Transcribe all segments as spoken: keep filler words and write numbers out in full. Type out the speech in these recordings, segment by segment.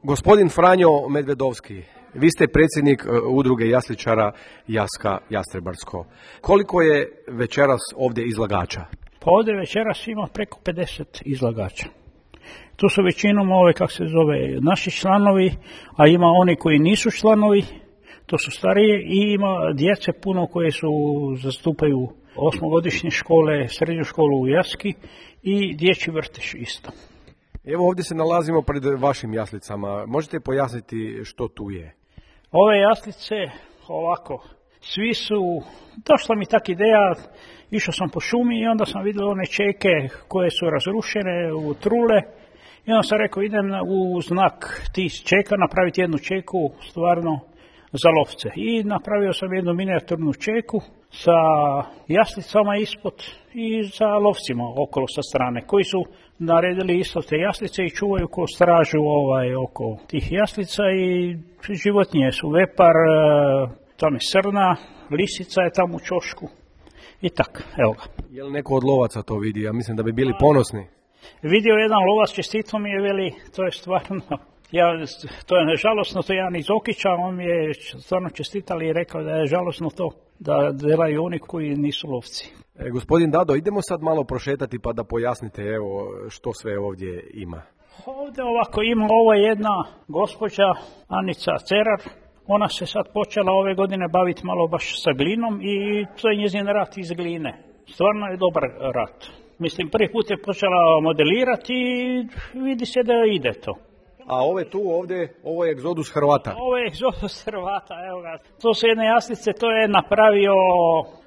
Gospodin Franjo Medvedovski, vi ste predsjednik udruge jasličara Jaska Jastrebarsko. Koliko je večeras ovdje izlagača? Pa ovdje večeras ima preko pedeset izlagača. Tu su većinom ove, kako se zove, naši članovi, a ima oni koji nisu članovi, to su starije, i ima djece puno koje su zastupaju osmogodišnje škole, srednju školu u Jaski i dječji vrtić isto. Evo ovdje se nalazimo pred vašim jaslicama. Možete pojasniti što tu je? Ove jaslice, ovako, svi su, došla mi tak ideja, išao sam po šumi i onda sam vidio one čeke koje su razrušene u trule i onda sam rekao idem u znak tih čeka napraviti jednu čeku stvarno za lovce. I napravio sam jednu minijaturnu čeku sa jaslicama ispod i za lovcima okolo sa strane, koji su naredili isto te jaslice i čuvaju ko stražu ovaj, oko tih jaslica i životinje su vepar, tam je srna, lisica je tamo u ćošku i tak, evo ga. Je li neko od lovaca to vidi? Ja mislim da bi bili ponosni. Vidio jedan lovac, čestito mi je, veli, to je stvarno, ja, to je žalosno, to je jedan iz Okića, on mi je stvarno čestitali i rekao da je žalosno to da delaju oni koji nisu lovci. E, gospodin Dado, idemo sad malo prošetati pa da pojasnite evo što sve ovdje ima. Ovdje ovako ima, ovo je jedna gospođa Anica Cerar, ona se sad počela ove godine baviti malo baš sa glinom i to je njezin rad iz gline. Stvarno je dobar rad. Mislim, prvi put je počela modelirati i vidi se da ide to. A ove tu ovdje, ovo je egzodus Hrvata. Ovo je egzodus Hrvata, evo ga. To su jedne jaslice, to je napravio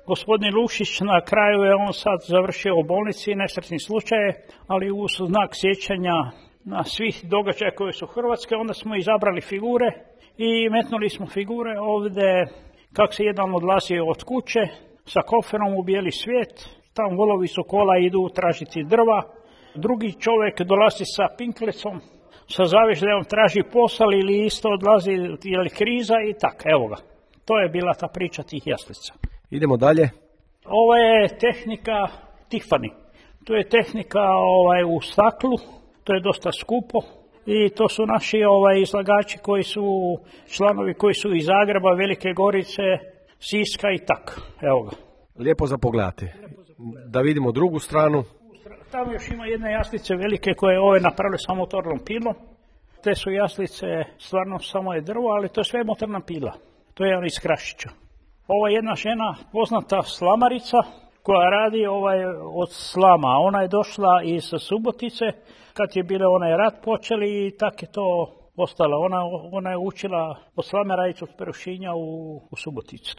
gospodin Lušić, na kraju je on sad završio u bolnici, nesretni slučaj, ali u znak sjećanja na svih događaja koje su Hrvatske, onda smo izabrali figure i metnuli smo figure ovdje kako se jedan odlazi od kuće sa koferom u bijeli svijet, tam volovi su kola idu tražiti drva, drugi čovjek dolazi sa pinklecom, sa zavežljajom traži posao ili isto odlazi ili kriza i tak, evo ga. To je bila ta priča tih jaslica. Idemo dalje. Ovo je tehnika Tiffany. To je tehnika ovaj, u staklu, to je dosta skupo i to su naši ovaj, izlagači koji su članovi koji su iz Zagreba, Velike Gorice, Siska i tak, evo ga. Lijepo za pogledati. Da vidimo drugu stranu. Tamo još ima jedne jaslice velike koje ove napravili sa motornom pilom. Te su jaslice stvarno samo je drvo, ali to je sve motorna pila. To je iz Krašića. Ova jedna žena, poznata slamarica, koja radi ovaj od slama. Ona je došla iz Subotice, kad je bile onaj rat počeli i tak je to ostala. Ona, ona je učila od slame raditi od Perušinja u, u Subotici.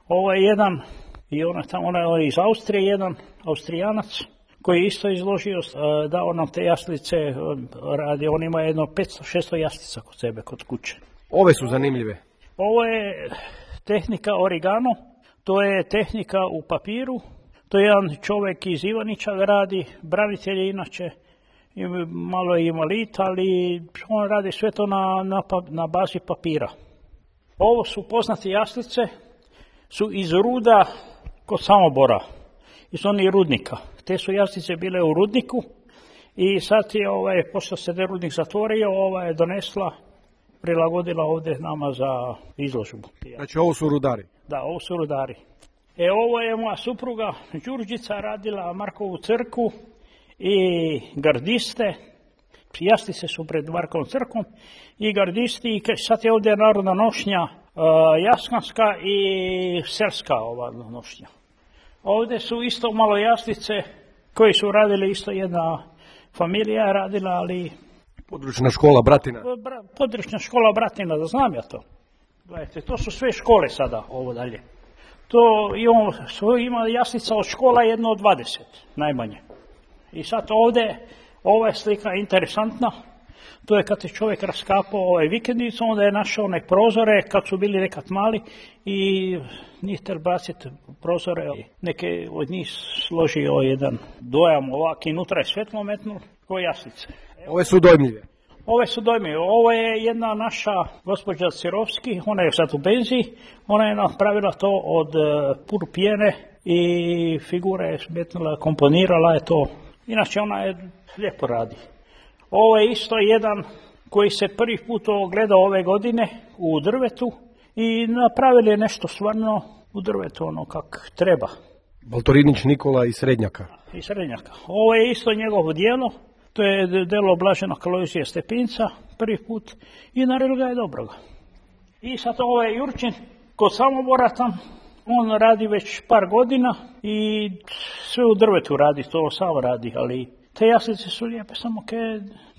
Ovo je jedan, i ona, tamo, ona je iz Austrije, jedan Austrijanac, koji je isto izložio, dao nam te jaslice, radi, on ima jedno petsto šesto jaslica kod sebe, kod kuće. Ove su zanimljive. Ovo je tehnika origano, to je tehnika u papiru, to je jedan čovjek iz Ivanića radi, branitelj je inače, malo je invalid, ali on radi sve to na, na, na bazi papira. Ovo su poznate jaslice, su iz ruda kod Samobora, iz onih rudnika. Te su jaslice bile u rudniku i sad je, ovaj, pošto se je rudnik zatvorio, ova je donesla, prilagodila ovdje nama za izložbu. Znači ovo su rudari? Da, ovo su rudari. E, ovo je moja supruga Đurđica radila Markovu crkvu i gardiste. Jaslice su pred Markovom crkvom i gardisti i sad je ovdje narodna nošnja uh, jaskanska i selska ova nošnja. Ovdje su isto malo jaslice koji su radili, isto jedna familija radila, ali... Područna škola Bratina. Bra, područna škola Bratina, da znam ja to. Gledajte, to su sve škole sada, ovo dalje. To imamo, ima jaslica od škola jedno od dvadeset, najmanje. I sad ovdje, ova je slika interesantna. To je kad je čovjek raskapao ovaj vikendicu, onda je našao one prozore, kad su bili nekad mali, i njih ter baciti prozore. Neke od njih složio jedan dojam ovak i unutra je svetlo metnuo, ko jaslice. Ove su dojmljive. Ove su dojmljive. Ovo je jedna naša gospođa Cirovski, ona je sad u penziji, ona je napravila to od pur pjene i figure je metnula, komponirala je to. Inače ona je lijepo radi. Ovo je isto jedan koji se prvi put ogledao ove godine u drvetu i napravili je nešto stvarno u drvetu ono kak treba. Baltorinić Nikola iz Srednjaka. Iz Srednjaka. Ovo je isto njegovo djelo, to je djelo Blažena Kalojzija Stepinca, prvi put i naredili ga je dobroga. I sad ovaj Jurčin kod Samobora tam, on radi već par godina i sve u drvetu radi, to sam radi, ali te jaslice su lijepe, samo ke,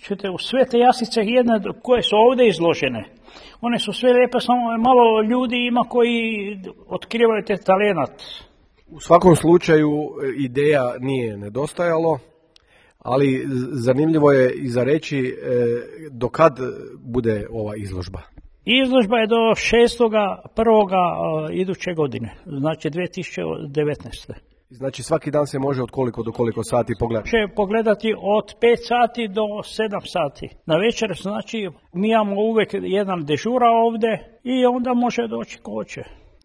čujte, sve te jaslice jedne koje su ovdje izložene, one su sve lijepe, samo malo ljudi ima koji otkrivaju te talenat. U svakom slučaju ideja nije nedostajalo, ali zanimljivo je i za reći do kad bude ova izložba. Izložba je do šestoga prvoga iduće godine, znači dvije tisuće devetnaeste. Znači svaki dan se može od koliko do koliko sati pogledati? Može pogledati od pet sati do sedam sati. Na večer, znači mi imamo uvijek jedan dežura ovdje i onda može doći ko hoće.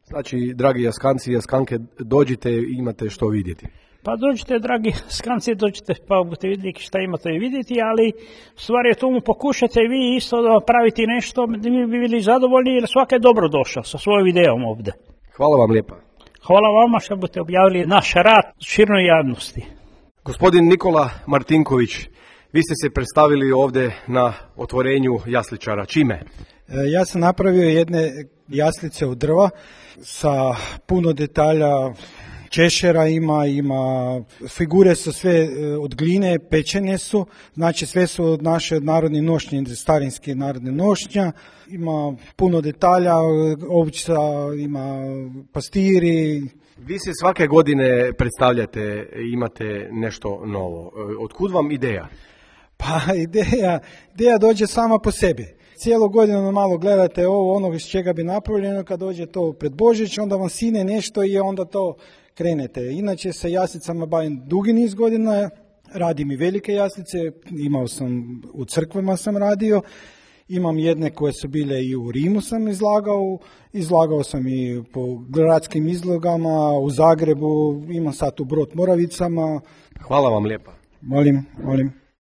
Znači, dragi jaskanci i jaskanke, dođite i imate što vidjeti. Pa dođite, dragi jaskanci, dođite pa budete vidjeti šta imate vidjeti, ali stvar je tomu pokušate vi isto da praviti nešto, mi bi bili zadovoljni jer svaka je dobro došao sa svojom ideom ovdje. Hvala vam lijepa. Hvala vama što budete objavili naš rad širnoj javnosti. Gospodin Nikola Martinković, vi ste se predstavili ovdje na otvorenju jasličara. Čime? Ja sam napravio jedne jaslice od drva sa puno detalja, češera ima, ima, figure su sve od gline, pečene su, znači sve su od naše narodne nošnje, starinske narodne nošnja, ima puno detalja, ovca, ima pastiri. Vi se svake godine predstavljate, imate nešto novo. Otkud vam ideja? Pa ideja, ideja dođe sama po sebi. Cijelu godinu malo gledate ovo, ono iz čega bi napravljeno, kad dođe to pred Božić, onda vam sine nešto i onda to krenete. Inače sa jaslicama bavim dugi niz godina, radim i velike jaslice, imao sam, u crkvama sam radio, imam jedne koje su bile i u Rimu sam izlagao, izlagao sam i po gradskim izlogama, u Zagrebu, imam sad u Brod Moravicama. Hvala vam lijepa. Molim, molim.